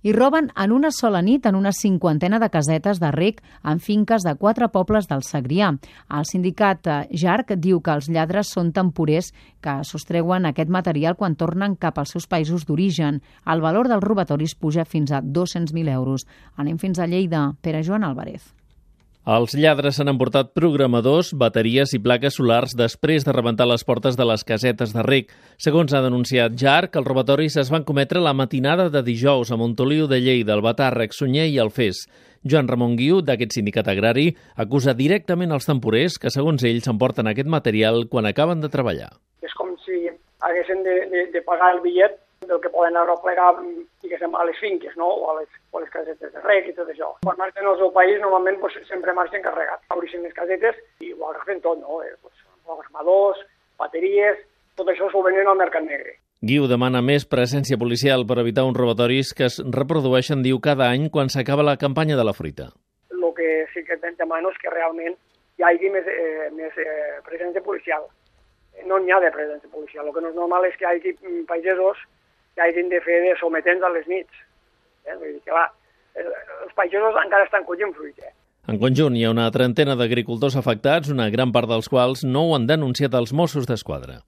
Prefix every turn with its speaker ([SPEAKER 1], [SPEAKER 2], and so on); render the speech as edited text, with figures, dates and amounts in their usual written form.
[SPEAKER 1] i roben en una sola nit en una cinquantena de casetes de rec en finques de 4 pobles del Segrià. El sindicat JARC diu que els lladres són temporers que sostreuen aquest material quan tornen cap als seus països d'origen. El valor dels robatoris puja fins a 200.000 euros. Anem fins a Lleida. Pere Joan Álvarez.
[SPEAKER 2] Els lladres s'han emportat programadors, bateries i plaques solars després de rebentar les portes de les casetes de rec. Segons ha denunciat JARC, els robatoris es van cometre la matinada de dijous a Montoliu de Lleida, Albatàrrec, Sunyer i Alfés. Joan Ramon Guiu, d'aquest sindicat agrari, acusa directament els temporers que, segons ell, s'emporten aquest material quan acaben de treballar.
[SPEAKER 3] És com si haguessin de pagar el bitllet del que poden arreplegar, diguéssim, a les finques, no? o a les casetes de rec i tot això. Quan marxen al seu país, normalment sempre marxen carregats. Obreixen les casetes i ho agafen tot, no? Programadors, bateries, tot això s'ho venen al mercat negre.
[SPEAKER 2] Guiu demana més presència policial per evitar uns robatoris que es reprodueixen, diu, cada any quan s'acaba la campanya de la fruita.
[SPEAKER 3] El que sí que demano és que realment hi hagi més presència policial. No n'hi ha de presència policial. El que no és normal és que hi hagi pagesos que hagin de fer de sometents a les nits. Vull dir que, clar, els pagesos encara estan collint fruita.
[SPEAKER 2] En conjunt, hi ha una trentena d'agricultors afectats, una gran part dels quals no ho han denunciat als Mossos d'Esquadra.